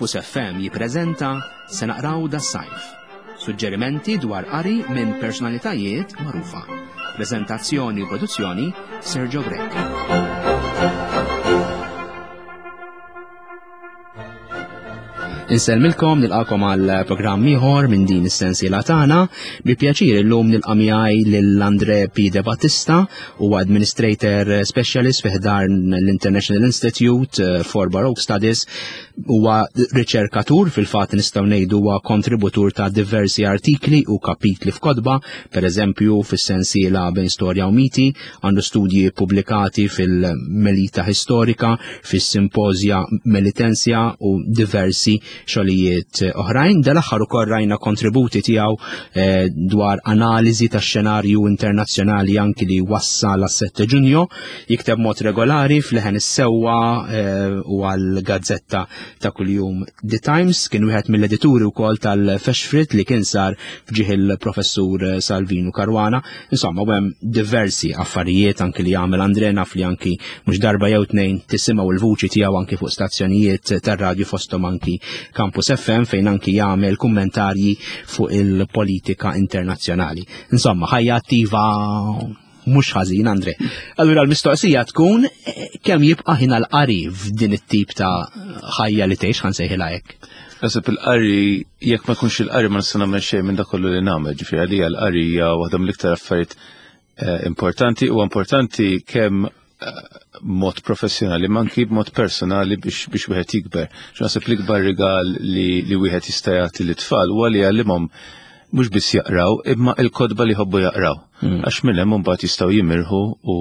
Campus FM jippreżenta Se naqraw das-sajf. Suġġerimenti dwar qari minn personalitajiet magħrufa. Preżentazzjoni u produzzjoni Sergio Grech. Insellmilkom nilqakom għal programm ieħor minn din is-sensiela tagħna. Bi pjaċir illum nilqa' miegħi lil Andre P. De Battista, huwa Administrator Specialist fi ħdan l-International Institute for Baroque Studies, huwa riċerkatur fil-fatt nistgħu ngħidu huwa kontributur ta' diversi artikli u kapitli f'kotba, pereżempju fis-sensiela bejn storja u miti, għandu studji pubblikati fil-Melita Historika, fis-Simpożja Melitensja u diversi xogħlijiet oħrajn. Dal-aħħar ukoll rajna kontributi tiegħu eh, dwar analiżi tax-xenarju internazzjonali anki li wassal għas-7 Ġunju, jikteb mod regolari fl-leħen is-sewwa eh, u għall-gazzetta ta' kuljum The Times, kien wieħed mill-edituri wkoll tal-Feshfrit li kien sar f'ġieħ il-professur Salvinu Caruana. Insomma, u hemm diversi affarijiet anki li jagħmel Andre naf li anki mhux darba jew tnejn tisimgħu l-vuċi tiegħu anki fuq stazzjonijiet tar-radju fosthom anki Campus FM fejn anki jagħmel kummentarji fuq il-politika internazzjonali. Insomma, ħajja attiva mhux ħażin Andre. Allura l-mistoqsija tkun eh, kemm jibqa' ħin għall-qari f'din it-tip ta' ħajja li tgħix ħansejħilha hekk. Nasib il-qari, jekk ma jkunx il-qari ma nista' nagħmel xejn minn dak kollu li nagħmel, ġifieri għalija l-qari hija waħda mill-iktar affarijiet eh, importanti u importanti kemm eh, mod professjonali ma anki b'mod personali biex biex wieħed jikber. Naħseb l-ikbar rigal li, li wieħed jista' jagħti lit-tfal huwa li jgħallimhom mhux biss jaqraw imma il-kotba li jħobbu jaqraw. Hmm. Għax minn hemm imbagħad jistgħu jimirħu u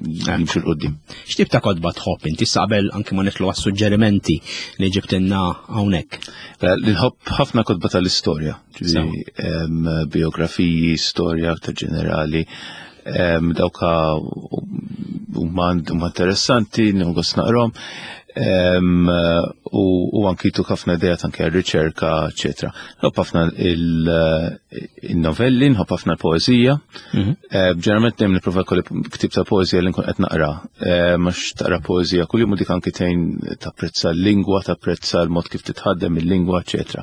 jimxu l-qoddim. X'tip ta' kotba tħobb inti qabel anki ma nitlu għas-suġġerimenti li ġibtinna hawnhekk? Nħobb ħafna kotba tal-istorja, biografiji, storja ta' ġenerali, dawka huma interessanti, nħoss naqrom u anki tuk ħafna idejat anki għal-riċerka, eccetera. Nħobb ħafna il-novelli, nħobb ħafna l-poezija. Mhm. Eh, ġeneralment dejjem nipprova jkolli ktib ta' poezija li nkun qed naqra. Eh, mhux taqra poezija kuljum u dik anki tgħin tapprezza l-lingwa, tapprezza l-mod kif titħaddem il-lingwa, eċetera.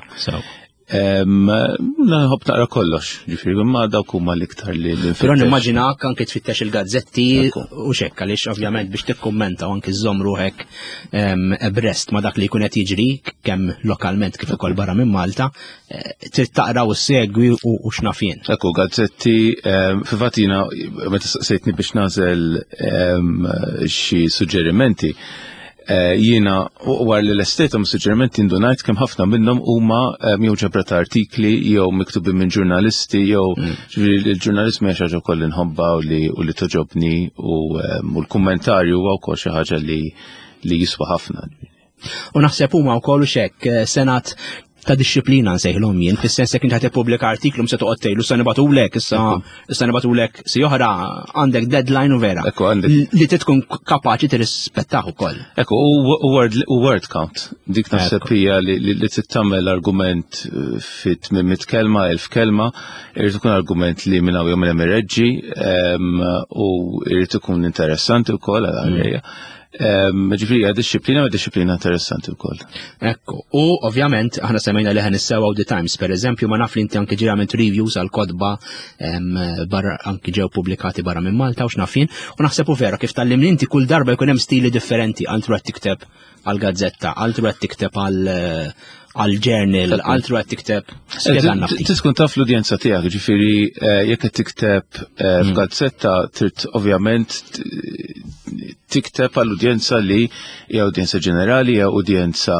Nħobb naqra kollox, ġifieri imma dawk huma l-iktar li l Però nimmaġinak anke tfittex il-gazzetti u xekk għaliex ovvjament biex tikkummenta u anke żżomm ruħek ebrest ma dak li jkun qed jiġri kemm lokalment kif ukoll barra minn Malta, eh, trid taqra u segwi u x'naf jien. Ekku, gazzetti, fil-fatt jiena meta saqsejtni biex nagħżel xi suġġerimenti, Eh, jiena wara li lestejthom suġġerimenti indunajt kemm ħafna minnhom huma eh, jew ġabra ta' artikli jew miktubin minn ġurnalisti jew mm. ġifieri il-ġurnalismu hija xi ħaġa wkoll inħobbha u li u li toġobni u eh, l-kummentarju huwa wkoll xi ħaġa li li jiswa ħafna. U naħseb huma wkoll xek senat ta' disċiplina nsejħilhom jien, fis-sens jekk inti tippubblika artiklu se toqgħod tgħidlu se nibatulek, issa issa nibatulek si oħra għandek deadline u vera. Ekku għandek. Li tkun kapaċi tirrispettaħ ukoll. Ekku, u word count. Dik naħseb hija li trid tagħmel argument eh, fit 800 kelma, 1000 kelma, irid ikun argument li minn hawn jew minn hemm ireġġi ehm, u irid ikun interessanti wkoll għal mm. Ġifieri hija disċiplina u disċiplina interessanti wkoll. Ekku, u ovvjament aħna semmejna li ħan issewa The Times, per eżempju, ma naf li inti anki ġirament reviews għal kodba barra anki ġew pubblikati barra minn Malta u x'nafin, u naħseb u vera kif tallimni inti kull darba jkun hemm stili differenti altru qed tikteb għal gazzetta, altru qed tikteb għal għal journal, altru qed tikteb. Spjegalna ftit. Tkun taf l-udjenza tiegħek, ġifieri eh, jekk qed tikteb eh, mm. f'gazzetta trid ovvjament tikteb għall udjenza li hija udjenza ġenerali, hija udjenza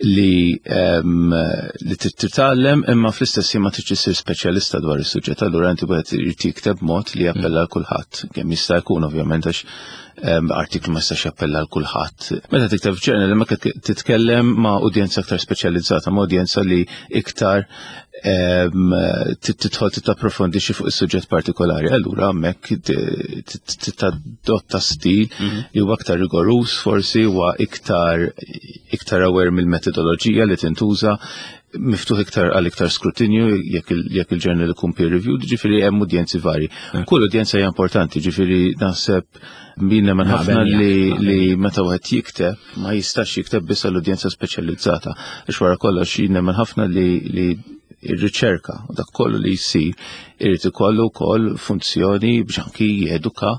li ehm, li trid titgħallem imma fl-istess ħin ma tridx issir speċjalista dwar is-suġġett, allura inti wieħed irid jikteb mod li jappella għal kulħadd, kemm jista' jkun ovvjament għax ehm, artiklu ma jistax jappella għal kulħadd. Meta tikteb f'ġurnal imma titkellem ma' udjenza aktar speċjalizzata, ma' udjenza li iktar ehm, tidħol titapprofondixxi fuq is-suġġett partikolari. Allura hemmhekk titadotta stil mhm. li huwa aktar rigorus forsi huwa iktar iktar aware mill-metodoloġija li tintuża. miftuħ iktar għal iktar skrutinju jekk il-ġurnal ikun peer reviewed, ġifieri hemm udjenzi vari. Kull udjenza hija importanti, ġifieri naħseb min nemmen ħafna li meta wieħed jikteb ma jistax jikteb biss għall udjenza speċjalizzata. Għax wara kollox jien nemmen ħafna li ir-riċerka u dak kollu li jsir irid ikollu wkoll funzjoni biex anki jeduka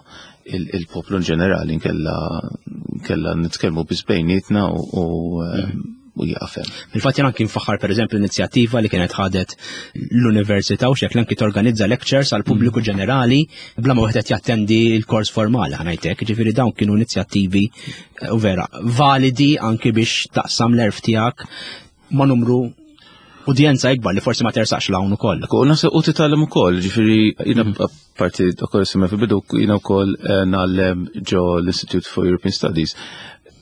il-poplu in ġenerali nkella nitkellmu biss bejnietna u u jaqaf hemm. Fil-fatt jien anki nfaħħar pereżempju l-inizjattiva li kienet ħadet l-università u xekk anki torganizza lectures għal pubbliku mm. ġenerali bla ma wieħed jattendi l-kors formali ħanajtek, ġifieri dawn kienu inizjattivi eh, u vera validi anki biex taqsam l-erf tiegħek ma' numru udjenza ikbar li forsi ma tersaqx l-hawn ukoll. U naħseb u titgħallem ukoll, ġifieri jiena mm. parti ukoll semma fil-bidu jiena wkoll eh, ngħallem ġo l-Institute for European Studies.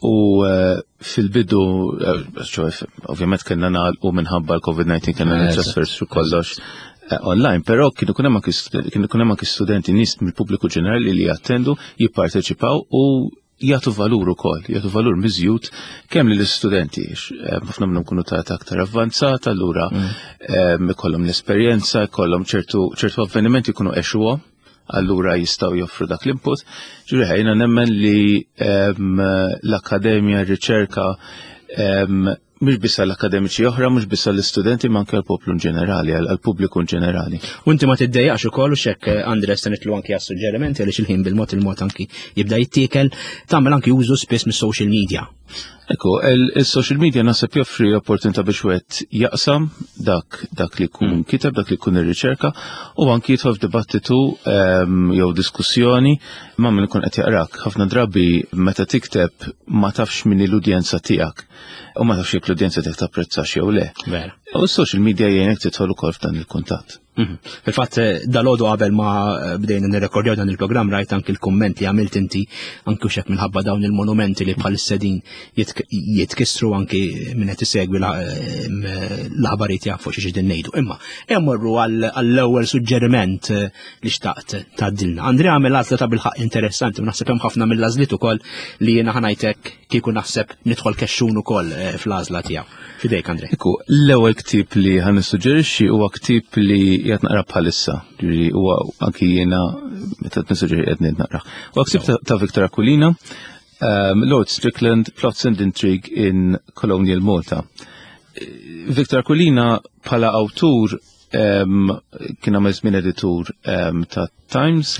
U eh, fil-bidu, eh, ovvjament kellna nagħlqu minħabba l-COVID-19 kellna nitrasfer su kollox online, però kienu kun hemm anki studenti nies mill-pubbliku ġenerali li jattendu, jipparteċipaw u jagħtu valur ukoll, jagħtu valur miżjud kemm lill-istudenti, eh, ħafna minnhom kunu ta' aktar avvanzata, allura mm. eh, ikollhom l-esperjenza, ikollhom ċertu ċertu avvenimenti jkunu għexuhom, allura jistgħu joffru dak l-input. Ġifieri ħajna nemmen li ehm, l-akkademja, r-riċerka ehm, mhux biss għall-akademiċi oħra, mhux biss għall-istudenti, ma anke għall-poplu in ġenerali, għall-pubbliku in ġenerali. U inti ma tiddejjaqx ukoll u xekk eh, Andres se nitlu anki għas-suġġerimenti għaliex il-ħin bil-mod il-mod anki jibda jittiekel, tagħmel anki użu spiss mis-social media. Ekku, il-social media naħseb joffri opportunità biex wieħed jaqsam dak dak li jkun mm. kiteb, dak li jkun irriċerka u anki jidħol f'dibattitu ehm, jew diskussjoni ma' min ikun qed jaqrak. Ħafna drabi meta tikteb ma tafx min l-udjenza tiegħek. U ma tafx jekk l-udjenza tiegħek tapprezzax jew le. Vera. U s-social media jgħinek tidħol ukoll f'dan il-kuntatt. Mhm. Fil-fatt, eh, dal-għodu qabel ma eh, bdejna nirrekordjaw dan il-programm rajt anki l-kumment li għamilt inti anki xek minħabba dawn il-monumenti li bħal sedin jitkissru anki minn qed isegwi eh, l-aħbarijiet jafu xi din ngħidu. Imma emmorru għall-ewwel suġġeriment li xtaqt tgħaddilna. Andrea għamel għażla ta' bilħaq interessanti u naħseb hemm ħafna mill-għażliet ukoll li jiena ħanajtek kieku naħseb nidħol kexxun ukoll eh, fl-għażla tiegħu. Fidejk Andre. Iku, l-ewwel ktieb li ħan nissuġġerixxi huwa ktieb li qiegħed naqra bħalissa, ġifieri huwa anki jiena meta qed nissuġġeri qed naqra. Huwa ktieb ta' Victor Aquilina, um, Lord Strickland, Plots and Intrigue in Colonial Malta. Victor Aquilina bħala awtur kien għamel żmien editur ta' Times.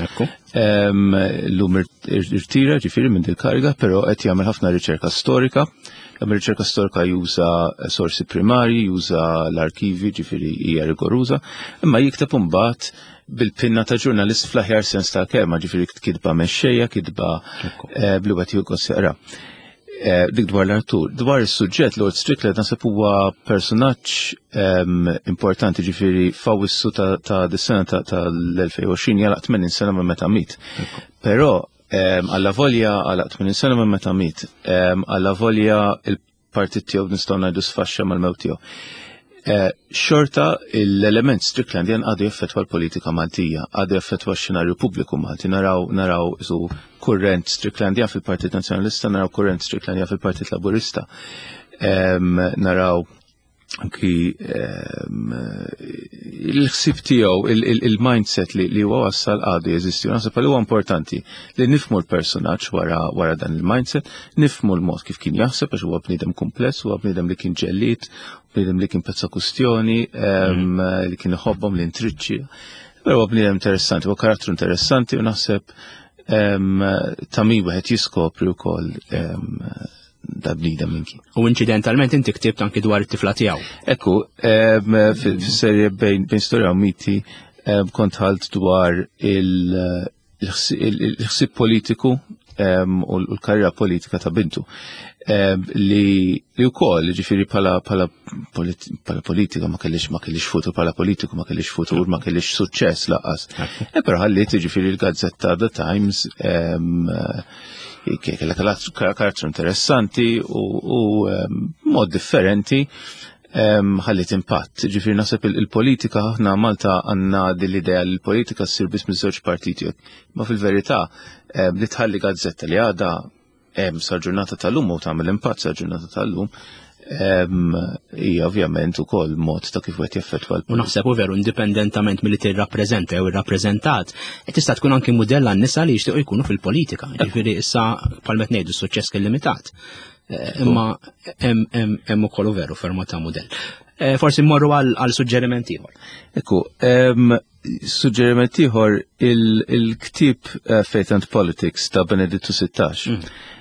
L-lum irtira ġifieri minn dil-kariga, però qed jagħmel ħafna riċerka storika. Jagħmel riċerka storika juża sorsi primarji, juża l-arkivi, ġifieri hija rigoruża, imma jikteb imbagħad bil-pinna ta' ġurnalist fl-aħjar sens ta' kelma, ġifieri kitba mexxejja, kitba eh, bli wieħed jieħu jaqra. Eh, dik dwar l-Artur. Dwar is-suġġett Lord Strickland naħseb huwa personaġġ ehm, importanti ġifieri f'Awwissu ta' dis-sena tal-2020 jalaq 80 sena minn meta miet. Però ehm, alla volja għalaq 80 sena minn meta miet, ehm, alla volja il-partit tiegħu nistgħu ngħidu sfaxxa mal-mewt tiegħu. Eh, xorta l-element Stricklandian għadu jaffetwa l-politika Maltija, għadu jaffetwa x-xenarju pubbliku Malti, naraw naraw isu kurrent Stricklandian fil-Partit Nazzjonalista, naraw kurrent Stricklandian fil-Partit Laburista, naraw anki il-ħsib tiegħu, il-mindset li huwa wassal għadu jeżisti. Naħseb li huwa importanti li nifmu l-personaġġ wara wara dan il-mindset, nifmu l-mod kif kien jaħseb għax huwa bniedem kumpless, huwa bniedem li kien ġellied, bniedem li kien pezza kustjoni, mm. li kien iħobbhom li intriċċi. Però huwa bniedem interessanti, huwa karattru interessanti u naħseb ta' min wieħed jiskopri wkoll da bniedem minn kien. U inċidentalment inti ktibt anki dwar it-tifla tiegħu. Ekku, fis-serje bejn storja u miti kont ħalt dwar il-ħsib politiku u l-karriera politika ta' bintu li li wkoll ġifieri bħala bħala politika ma kellix ma kellix futur bħala politiku ma kellix futur ma kellix suċċess laqas. E però ħalliet ġifieri l-gazzetta The Times kellha karattru interessanti u mod differenti ħallit impatt. Ġifieri naħseb il-politika aħna Malta għandna din l-idea li l-politika ssir biss miż-żewġ partiti. Ma fil-verità li tħalli gazzetta li għadha hemm sal-ġurnata tal-lum u tagħmel impatt sal-ġurnata tal-lum Hija ovvjament ukoll mod ta' kif wieħed jaffettwa U naħseb u veru indipendentament milli tirrappreżenta jew irrappreżentat, tista' tkun anki mudell għan-nisa li jixtiequ jkunu fil-politika. Ġifieri issa bħal meta ngħidu s-suċċess kien limitat. Eh, imma hemm ukoll veru ferma ta' mudell. Eh, forsi mmorru għal suġġeriment ieħor. Ekku, Suġġeriment ieħor il-ktieb eh, Faith and Politics ta' Benedittu XVI.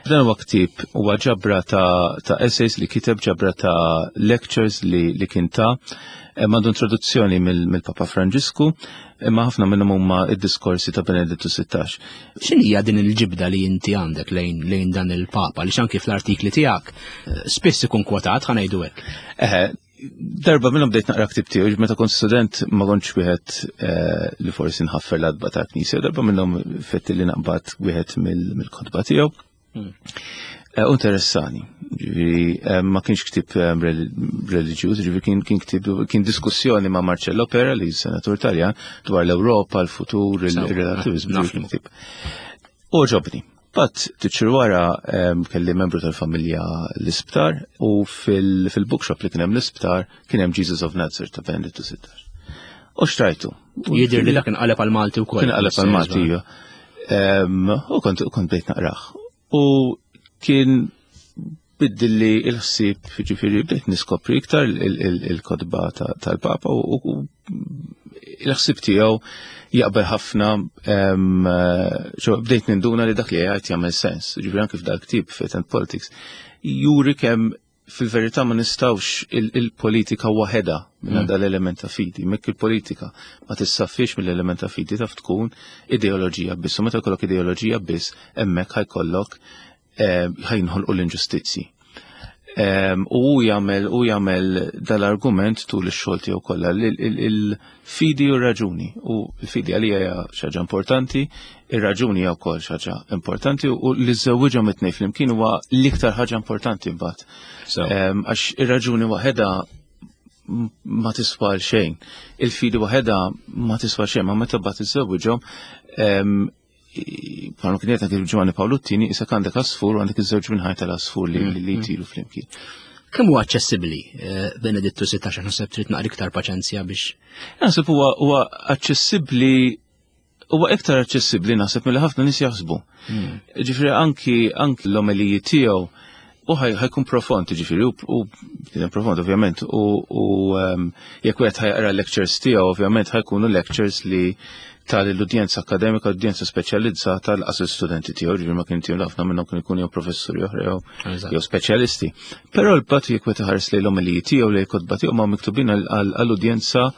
Dan huwa ktieb huwa ġabra ta', ta essays li kiteb ġabra ta' lectures li, li kien ta' eh, għandu introduzzjoni mill-Papa Franġisku, imma ħafna minnhom huma id-diskorsi ta' Benedittu XVI. X'inhija din il-ġibda li inti għandek lejn, lejn dan il-Papa li xanki fl-artikli tiegħek eh, spiss ikun kwotat ħa ngħidu hekk. Eħe, darba minnhom bdejt naqra ktib tiegħu, meta kont student ma kontx wieħed eh, li forsi nħaffer l-adba ta' knisja, darba minnhom fetti li naqbad wieħed mill-kotba tiegħu. Eh, u interessani, ġifieri eh, ma kienx ktib reliġjuż, ġifieri kien kien ktib kien diskussjoni ma' Marcello Pera li senatur Taljan dwar l-Ewropa, l-futur, il-relativizmu. U ġobni. Bat titxir wara kelli membru tal-familja l-isptar u fil-bookshop li kien hemm l-isptar kien hemm Jesus of Nazareth ta' Benedittu 16. U xtrajtu. Jidir li dak inqaleb għal-Malti wkoll. Kien qaleb għal-Malti, iva. U kont kont bdejt naqrah. U kien biddilli il-ħsieb, ġifieri bdejt niskopri iktar il-kotba tal-Papa u il-ħsieb tiegħu jaqbel ħafna bdejt ninduna li dak li jgħid jagħmel sens. Ġifieri anke f'dal ktieb Faith and Politics juri kemm fil-verità ma nistawx il-politika waħedha minn mm. dal-element ta' fidi. Mekk il-politika ma tissaffix mill-element ta' fidi taf tkun ideoloġija biss. U meta jkollok ideoloġija biss, hemmhekk ħajkollok eh, ħajnħolqu l-inġustizzji. U hu jagħmel u jagħmel dal-argument tul ix-xogħol tiegħu kollha il-fidi u r-raġuni. U l-fidi għalija hija xi ħaġa importanti, ir-raġuni hija wkoll xi ħaġa importanti u li żewwiġhom it-tnejn flimkien huwa l-iktar ħaġa importanti mbagħad. Għax ir-raġuni waħedha ma tiswa xejn. Il-fidi waħedha ma tiswa xejn, ma meta bagħad iżewwiġhom bħalma kien jgħid anke Giovanni Paolo Tini, issa għandek asfur u għandek iż-żewġ minħaj tal-asfur li li mm. jtiru flimkien. Kemm huwa aċċessibbli eh, Benedittu 16 naħseb trid naqra iktar paċenzja biex. Naħseb huwa huwa aċċessibbli huwa iktar aċċessibbli naħseb milli ħafna nies jaħsbu. Mm. Ġifieri anki anki l-omeliji tiegħu u ħajkun profond, ġifieri, u profond ovvjament, u ehm, jekk wieħed ħajqra lectures tiegħu, ovvjament ħajkunu lectures li tal-udjenza akademika, udjenza speċjalizzata l-qas studenti tiegħu, ġifieri ma kien tiegħu ħafna minnhom kien ikun jew professuri oħra jew speċjalisti. Però l-bat jekk wieħed iħares lejn l-omeliji tiegħu li kotba tiegħu ma miktubin għall-udjenza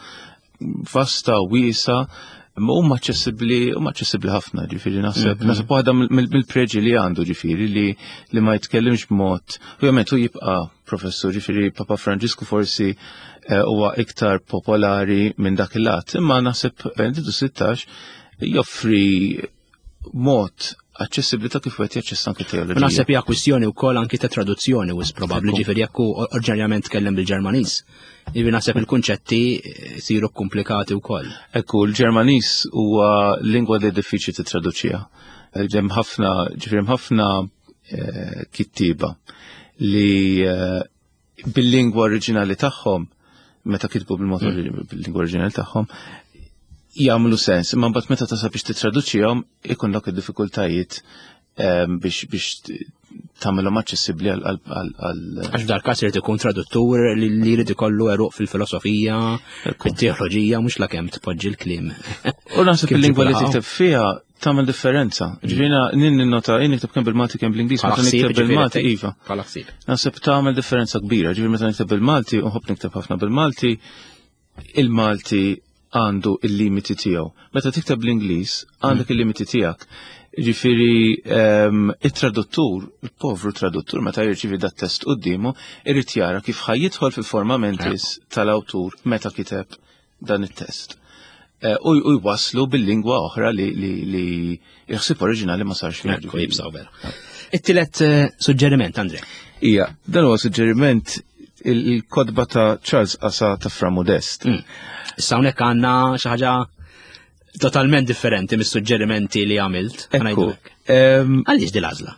vasta wiesa ma huma aċċessibbli huma aċċessibbli ħafna, ġifieri naħseb mhm. naħseb waħda mill-preġi li għandu ġifieri li li ma jitkellimx b'mod ovvjament hu jibqa' professur ġifieri Papa Franġisku forsi eh, huwa iktar popolari minn dak il-lat, imma naħseb Benedittu 16 joffri mod aċċessibbli ta' kif wieħed jaċċessa anke teoloġija. Naħseb hija kwistjoni wkoll anki ta' traduzzjoni wis probabbli ġifieri jekk hu oriġinarjament tkellem bil-Ġermaniż. Jiġifieri naħseb il-kunċetti siru komplikati wkoll. Ekku, l-Ġermaniż huwa lingwa li diffiċli titraduċiha. Hemm ħafna, ġifieri hemm ħafna eh, kittieba li eh, bil-lingwa oriġinali tagħhom, meta kitbu bil-mod mm. bil-lingwa oriġinali tagħhom, jagħmlu sens, imma mbagħad meta tasal biex titraduċihom ikollok id-diffikultajiet ehm, biex biex tagħmilhom aċċessibbli għal Għax f'dal każ irid ikun traduttur li jrid ikollu eruq fil-filosofija, fit-teoloġija, mhux lakemm tpoġġi l-kliem. U naħseb il-lingwa li tikteb fiha tagħmel differenza. Ġifieri nin ninnota jien nikteb kemm bil-Malti kemm bl-Ingliż, meta nikteb bil-Malti iva. Naħseb tagħmel differenza kbira, ġifieri meta nikteb bil-Malti u nħobb nikteb ħafna bil-Malti, il-Malti għandu il-limiti tiegħu. Meta tikteb bl-Ingliż għandek mm. il-limiti tiegħek. Ġifieri ehm, it-traduttur, il-povru traduttur meta jirċivi dat test quddiemu, irid jara kif ħajjidħol fil-forma mentis tal-awtur meta kiteb dan it-test. Eh, u jwaslu bil-lingwa oħra li il-ħsieb oriġinali ma sarx fiha. Jibsaw vera. It-tielet eh, suġġeriment, Andre. Ija, dan huwa suġġeriment il-kodba ta' Charles Asa ta' Fra Modest. Mm. Issa hawnhekk għandna xi ħaġa totalment differenti mis-suġġerimenti li għamilt. Għaliex din l-għażla?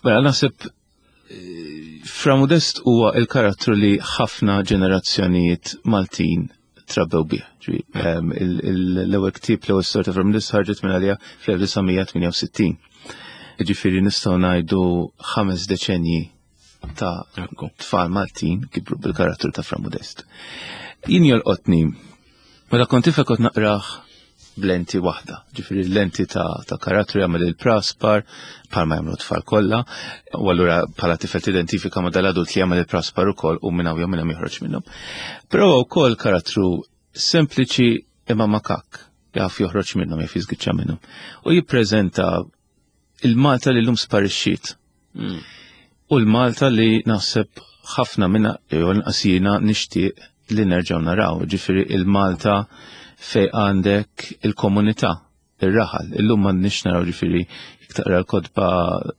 Mela naħseb eh, Fra Modest huwa il-karattru li ħafna ġenerazzjonijiet Maltin trabbew bih. L-ewwel ktieb l-ewwel storja ta' Fra Modest ħarġet minn għalija fl-1968. Ġifieri nistgħu ngħidu 5 deċenji ta' tfal Maltin kibru bil-karattru ta' Fra Modest. Jien jolqotni, meta kont tifel kont naqrah b'lenti waħda, ġifieri l-lenti ta', ta karattru jagħmel il-praspar bħalma jagħmlu tfal kollha, u allura bħala tifel tidentifika ma' dal-adult li jagħmel il-praspar ukoll u minn hawn jew minn hemm joħroġ minnhom. Però wkoll karattru sempliċi imma makak, jaf joħroġ minnhom, jaf jiżgiċċa minnhom. U jippreżenta il-Malta li llum sparixxiet. U l-Malta li naħseb ħafna minna, jew inqas jiena nixtieq li nerġgħu naraw, ġifieri il-Malta fej għandek il-komunità, ir-raħal. Illum m'għandniex naraw ġifieri jekk taqra l-kotba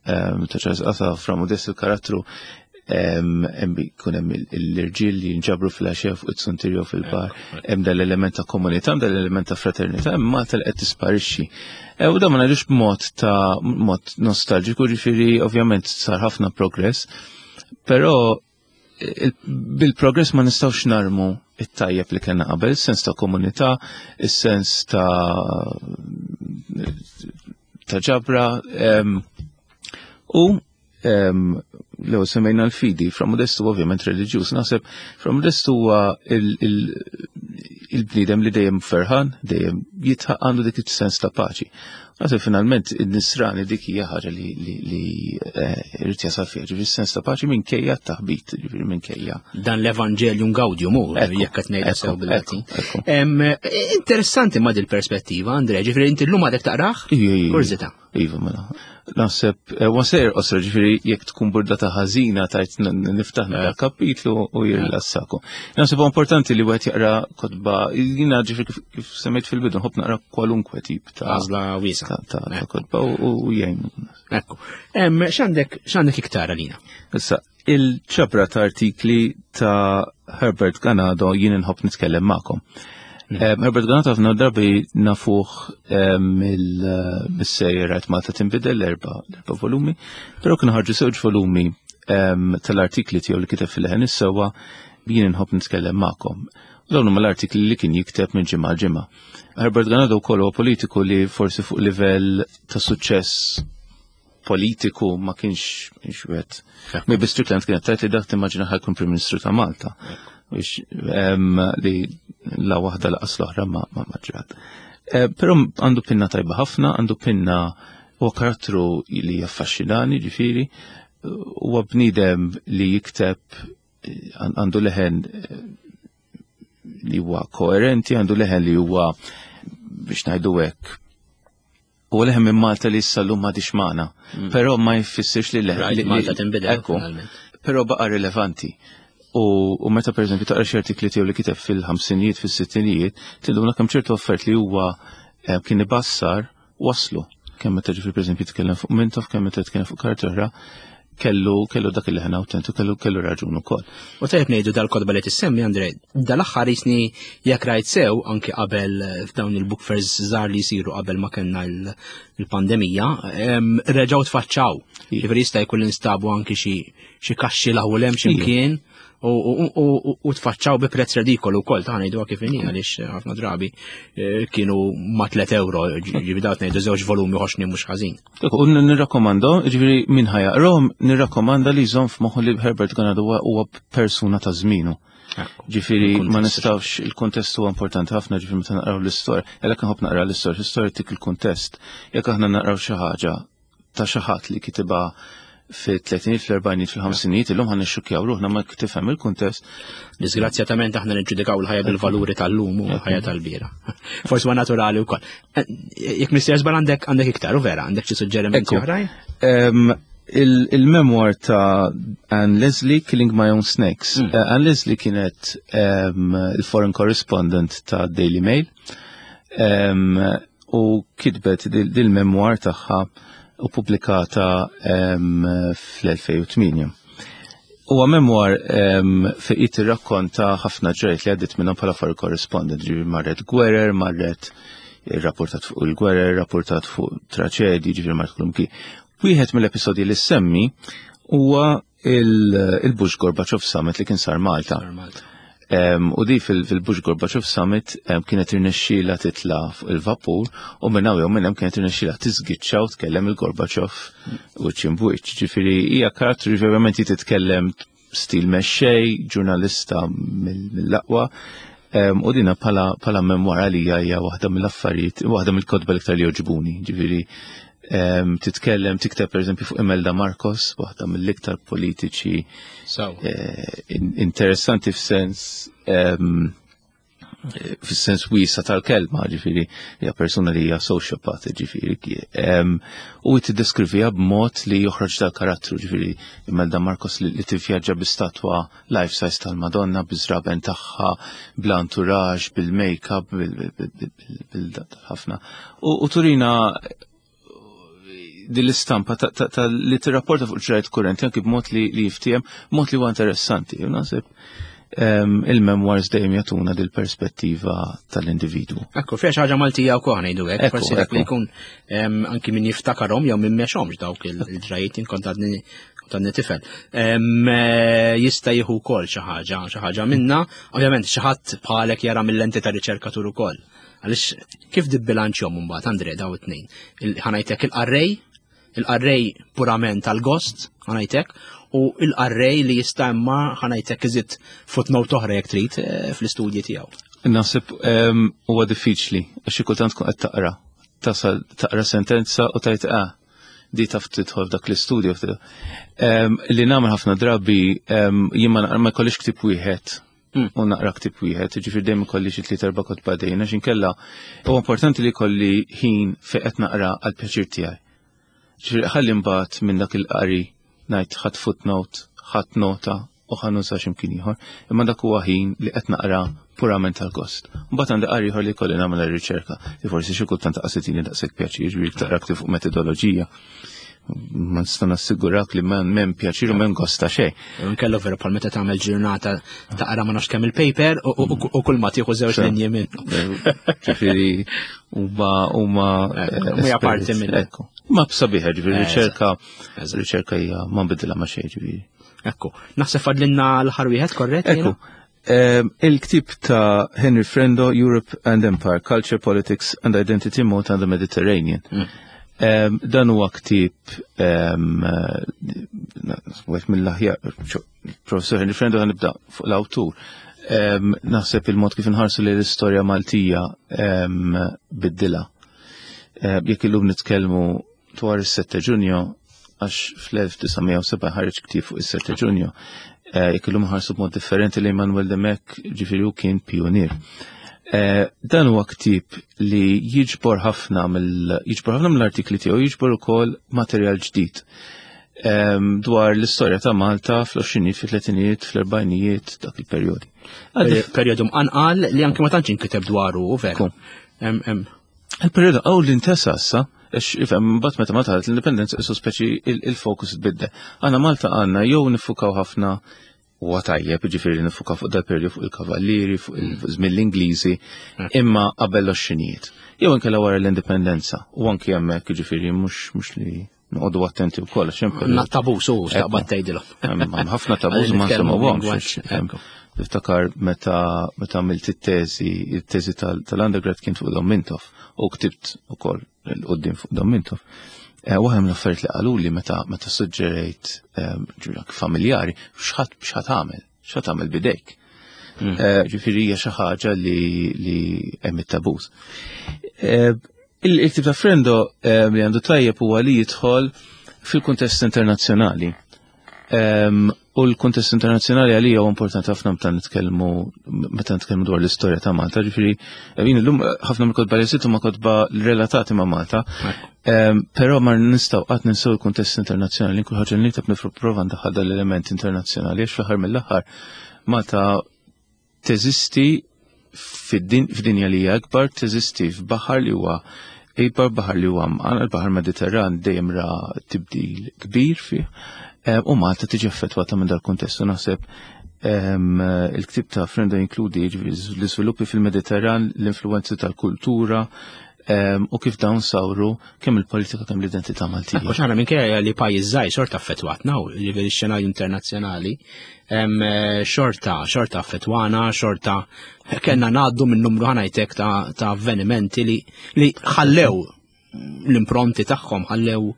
ta' Charles Qasa Fra Modest il-karattru hemm jkun hemm l-irġiel li jinġabru fil-għaxija fuq it-suntier jew fil-bar, hemm dal-element ta' komunità, hemm dal-element ta' fraternità, hemm Malta li qed tisparixxi. U dan ma ngħidux b'mod ta' mod nostalġiku, ġifieri ovvjament sar ħafna progress, però bil-progress ma nistgħux narmu it-tajjeb li kellna qabel, is-sens ta' komunità, is-sens ta' ta' ġabra, u l-ewwel semmejna l-fidi, Fra Modestu ovvjament reliġjuż, naħseb Fra Modestu huwa il-bniedem li dejjem ferħan, dejjem jitħaq għandu dik is-sens ta' paċi. Naħseb finalment in-nisrani dik hija ħaġa li irid jasal fiha, ġifieri s-sens ta' paċi minkejja t-taħbit, ġifieri minkejja. Dan l-Evanġelium Gaudium hu, jekk qed ngħidha sew bil-Latin. Interessanti ma' dil-perspettiva, Andre, ġifieri inti llum għadek taqrah? Kurżità. Iva, mela. Naħseb, wa sejr qosra, ġifieri jekk tkun burdata ħażina tajt niftaħ naqra kapitlu u jirrilassaku. Naħseb huwa importanti li wieħed jaqra kotba, jiena ġifieri kif semmejt fil-bidu nħobb naqra kwalunkwe tip ta' għażla wiesa' ta' kotba u jgħin. Ekku. X'għandek iktar għalina? Issa, il-ċabra ta' artikli ta' Herbert Ganado jien inħobb nitkellem magħkom. Herbert Ganado ħafna drabi nafuh mill-sejjer Rajt Malta Tinbidel l-erba' volumi, però kienu ħarġu żewġ volumi tal-artikli tiegħu li kiteb fil-Leħen is-Sewwa jien inħobb nitkellem magħkom. U dawn huma l-artikli li kien jikteb minn ġimgħa għal ġimgħa. Herbert Ganado wkoll huwa politiku li forsi fuq livell ta' suċċess politiku ma kienx wieħed. Maybe Strickland kienet tajt li dak timmaġina ħajkun Prim Ministru ta' Malta. Biex li la waħda laqas l-oħra ma ġrat. Però għandu pinna tajba ħafna, għandu pinna huwa karattru li jaffaxxinani, ġifieri, huwa bniedem li jikteb għandu leħen li huwa koerenti, għandu leħen li huwa biex ngħidu hekk. U leħen minn Malta li issa llum m'għadix magħna. Però ma jfissirx li leħen li Malta tinbidel, Ekku. finalment. Però baqa' rilevanti. U meta pereżempju taqra xi artikli tiegħu li kiteb fil-ħamsinijiet, fis-sittinijiet, tinduna kemm ċertu affarijiet li huwa kien ibassar waslu. Kemm meta ġifieri pereżempju jitkellem fuq Mintoff, kemm meta jitkellem fuq karti oħra, kellu dak il-leħen awtentu, kellu raġun ukoll. U tajjeb ngħidu dal-kotba li tissemmi, Andre, dal-aħħar jisni jekk rajt sew anki qabel f'dawn il-book fairs żgħar li jsiru qabel ma kellna il-pandemija, reġgħu tfaċċaw. Ġifieri jista' jkun instabu anki xi kaxxi laħu hemm xi mkien u tfaċċaw bi prezz redikolu wkoll, ta' ngħiduha kif inhi, għaliex ħafna drabi kienu ma' 3 euro, ġifieri dawk ngħidu żewġ volumi ħoxni mhux ħażin. Ekku, u nirrakkomando, ġifieri min ħajaqrom, nirrakkomanda li jżomm f'moħħu li Herbert Ganado huwa persuna ta' żmienu. Ġifieri ma nistgħux, il-kuntest huwa importanti ħafna, ġifieri meta naqraw l-istorja, għalhekk nħobb naqra l-istorja, l-istorja tik il-kuntest. Jekk aħna naqraw xi ħaġa ta' xi ħadd li kitibha fil-tletinijiet, fl-erbgħinijiet, fil-ħamsinijiet, illum ħan nixxukkjaw ruħna ma tifhem il-kuntest. Disgrazzjatament aħna niġġudikaw il-ħajja bil-valuri tal-lum u l-ħajja tal-bira. Forsi huwa naturali wkoll. Jekk mister żball għandek iktar, u vera, għandek xi suġġerimenti oħrajn? Il-memoir ta' Anne Leslie, Killing My Own Snakes. Anne Leslie kienet il-foreign correspondent ta' Daily Mail. U kitbet dil-memoir tagħha u pubblikata fl-2008. Huwa memoir fejn qed tirrakkonta ħafna ġrajt li għaddiet minnhom bħala foreign correspondent, ġifieri marret gwerer, marret rapportat fuq il-gwerer, rapportat fuq traċedji, ġifieri marret kull imkien. Wieħed mill-episodji li semmi huwa il-Bush Gorbachev Summit li kien sar Malta. U di fil-Bush Gorbachev Summit kienet irnexxiela titla fuq il-vapur u minn hawn jew minn hemm kienet irnexxiela tiżgiċċa u tkellem il-Gorbachev u ċimbuċ. Ġifieri hija karattru verament titkellem stil mexxej, ġurnalista mill-aqwa. U dina bħala memwar għalija hija waħda mill-affarijiet, waħda mill-kotba l-iktar li joġbuni. Ġifieri titkellem, tikteb per eżempju fuq Imelda Marcos, waħda mill-iktar politiċi eh, interessanti f'sens fis-sens wiesa tal-kelma, ġifiri, hija persuna li hija sociopath, ġifiri, u tiddeskrivija b'mod li joħroġ dal-karattru, ġifiri, Imelda Marcos li tivvjaġġa bi statwa life size tal-Madonna, biżraben tagħha, bl-entourage, bil-makeup, bil-ħafna. U turina din l-istampa ta' li tirrapporta fuq ġrajt kurrenti anki b'mod li jiftiem, b'mod li huwa interessanti. Naħseb il-memoirs dejjem jagħtuna dil-perspettiva tal-individwu. Ekku, fiha xi ħaġa Maltija wkoll ngħidu hekk, forsi dak li jkun anki min jiftakarhom jew min mexhomx dawk il-ġrajiet inkont għadni għadni tifel. Jista' jieħu wkoll xi ħaġa, xi ħaġa minna, ovvjament xi ħadd bħalek jara mill-lenti ta' riċerkatur ukoll. Għaliex kif dibbilanċjhom imbagħad Andre daw it-tnejn? Ħanajtek il-qarrej, il-qarrej purament tal-gost, ħanajtek, u il-qarrej li jista' imma ħanajtek iżid footnote oħra jekk trid eh, fl-istudji tiegħu. Naħseb ehm, huwa diffiċli għax xi kultant tkun qed taqra. Tasal taqra sentenza u tajt ah di taf tidħol f'dak l-istudju. Ehm, li nagħmel ħafna drabi ehm, jien ma jkollix ktib wieħed Hmm. U naqra ktib wieħed, ġifier dejjem ikolli xi tliet erba' kotba dejjem għax inkella huwa importanti li jkolli ħin fejn qed naqra għal pjaċir tiegħi. Ġifieri ħalli mbagħad minn dak il-qari ngħid ħadd footnote, ħadd nota u ħa nuża x'imkien ieħor. Imma dak huwa ħin li qed naqra purament tal-gost. Mbagħad għandi qari ieħor li jkolli nagħmel riċerka li forsi xi kultant taqasitini daqshekk pjaċir, ġifieri taqra ktib fuq metodoloġija ma nista' nassigurak li m'hemm pjaċir u m'hemm gost ta' xejn. Nkellu vera bħal meta tagħmel ġurnata taqra ma nafx kemm il-paper u kull ma tieħu żewġ linji minnu. Ġifieri huma huma hija parti minn. Ma b'sabiħa ġifieri riċerka riċerka hija ma nbidilha ma xejn ġifieri. Ekku, naħseb fadlinna l-aħħar wieħed korrett? Ekku. Il-ktib ta' Henry Frendo, Europe and Empire, Culture, Politics and Identity Malta and the Mediterranean. Mm. Dan huwa ktib wieħed mill-aħjar, Professor Henry Frendo nibda fuq l-awtur. Naħseb il-mod kif inħarsu li l-istorja Maltija biddilha. Jekk illum nitkellmu dwar is-7 Ġunju, għax fl-1907 ħareġ ktieb fuq is-7 Ġunju, eh, jekk illum ħarsu b'mod differenti li Manuel Demek ġifieri hu kien pionier. Eh, dan huwa ktieb li jiġbor ħafna mill jiġbor ħafna mill-artikli tiegħu jiġbor ukoll materjal ġdid ehm, dwar l-istorja ta' Malta fl-20 fil-30 fl-40 dak il-perjodi. Perjodu mqanqal li anke ma tantx inkiteb dwaru, vera. Il-periodu għaw li ntesa issa, għax ifhem mbagħad meta ma taħlet l-indipendenza isu speċi il-fokus tbiddel. Għandna Malta għandna jew nifukaw ħafna huwa tajjeb, ġifieri nifukaw fuq dal-periodu fuq il-kavallieri, fuq il-żmien l-Ingliżi, imma qabel l-oxxinijiet. Jew inkella wara l-indipendenza, u anki hemmhekk ġifieri mhux mhux li noqogħdu attenti wkoll għax hemm Na tabus u x'taqbad tgħidilhom. Hemm ħafna tabus ma nsemmuhomx. Niftakar meta meta għamilt it-teżi, it-teżi tal-undergrad kien fuq Dom Mintoff u ktibt ukoll l-qudiem fuq Dom Mintoff. Eh, waħda mill-affarijiet li qaluli meta meta suġġerejt eh, familjari x'ħadd x'ħadd għamel, x'ħadd għamel bidejk. Mm. Eh, ġifieri hija xi ħaġa li hemm it-tabus. Il-tip ta' frendo eh, li għandu tajjeb huwa li jidħol fil-kuntest internazzjonali. Ehm, u l-kuntest internazzjonali għalija huwa importanti ħafna meta nitkellmu meta nitkellmu dwar l-istorja ta' Malta, ġifieri eh, jien illum eh, ħafna mill-kotba li sitt huma kotba relatati ma' Malta. Ehm, però ma nistgħu qatt ninsew il-kuntest internazzjonali, kull ħaġa li nikteb nipprova ndaħħal dal-element internazzjonali għax fl-aħħar mill-aħħar Malta teżisti f'dinja li hija akbar, teżisti f'baħar li huwa ikbar, baħar li huwa mqan, il-baħar Mediterran dejjem ra tibdil kbir fih, eh, u Malta tiġi affettwata minn dal-kuntest u naħseb ehm, il-ktib ta' Frendo jinkludi l-iżviluppi fil-Mediterran, l-influenzi tal-kultura, u kif dawn sawru kemm il-politika kemm l-identità Maltija. Għax aħna minkejja li pajjiż żgħir xorta affettwatna u jiġifieri x-xenarju internazzjonali eh, xorta xorta affettwana, xorta kellna ngħaddu minn numru ħanajtek ta' avvenimenti li li ħallew l-impronti tagħhom ħallew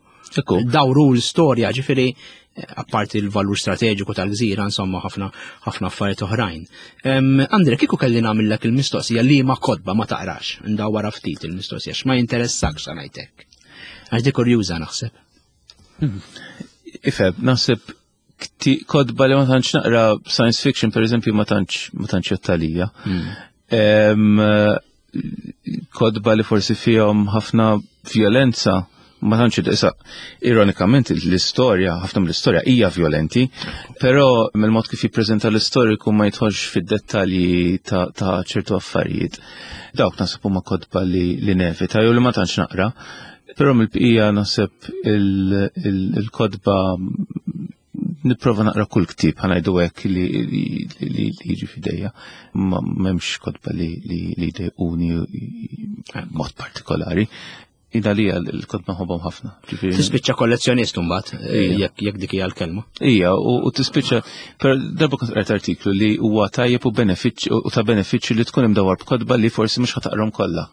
dawru l-istorja, ġifieri apparti l-valur strateġiku tal-gżira, insomma, ħafna ħafna affarijiet oħrajn. Andre, kieku kelli nagħmillek il-mistoqsija li ma kodba ma taqrax, ndawwara ftit il-mistoqsija, x'ma jinteressakx sa ngħidlek. Għax di kurjuża naħseb. Ifeb, naħseb kodba li ma tantx naqra science fiction, per eżempju, ma tantx ma tantx jottalija. Kodba li forsi fihom ħafna violenza ma tantx issa ironikament l-istorja, ħafna mill-istorja hija violenti, però mill-mod kif jippreżenta l-istoriku ma jidħolx fid-dettalji ta', ta ċertu affarijiet. Dawk naħseb huma kodba li, li nevita jew li ma tantx naqra. Però mill-bqija naħseb il-kodba nipprova naqra kull ktieb ħanajdu hekk li li jiġi f'idejja. Ma m'hemmx kotba li li jdejquni mod partikolari. Ida li l-kotba nħobbhom ħafna. Tispiċċa kollezzjonist imbagħad eh, jekk jekk dik hija l-kelma. Ija, u tispiċċa per darba kont qrajt artiklu li huwa tajjeb u benefiċċju u ta' benefiċċju li tkun imdawwar b'kotba li forsi mhux ħataqrom kollha.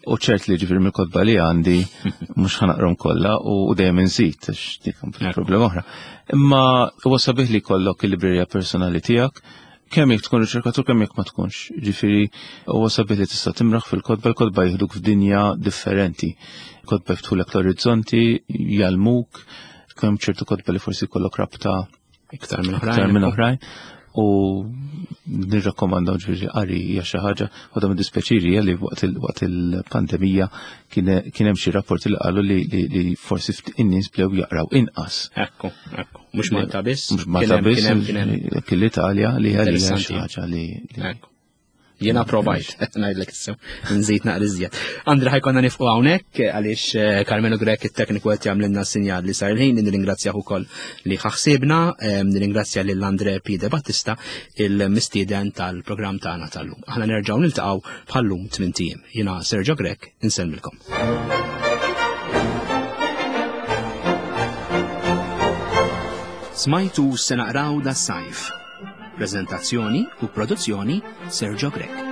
U ċert li ġifir mill-kotba li għandi mhux ħanaqrom kollha u dejjem inżid għax dik problema oħra. Imma huwa sabiħ li jkollok il-librerija personali tiegħek kemm jekk tkun riċerkatur kemm jekk ma tkunx. Ġifieri huwa sabiħ li tista' timraħ fil-kotba, l-kotba jieħduk f'dinja differenti. Kotba jiftħulek l-orizzonti, jgħallmuk, kemm ċertu kotba li forsi jkollok rabta Iktar minn oħrajn. Iktar minn oħrajn. U nirrakkomandaw ġifieri qari hija xi ħaġa u da dispjaċiri li waqt il-pandemija kien hemm xi rapporti li qalu li forsi in-nies bdew jaqraw inqas. Ekku, ekku. Mhux Malta biss. Mhux Malta biss, kien l-Italja li hija xi ħaġa li. Jiena provajt, ngħidlek sew, nżid naqra iżjed. Andra ħajkonna nifqu hawnhekk għaliex eh, Carmelo Grek it-tekniku qed jagħmlilna sinjal li sar il-ħin nirringrazzjah ukoll li ħaħsibna, eh, nirringrazzja lil Andre P. De Battista il-mistieden tal-programm tagħna tal-lum. Aħna nerġgħu niltaqgħu bħallum tmien ijiem. Jiena Sergio Grek, insellmilkom. Smajtu se naqraw da sajf. Prezentazzjoni u produzzjoni Sergio Grech.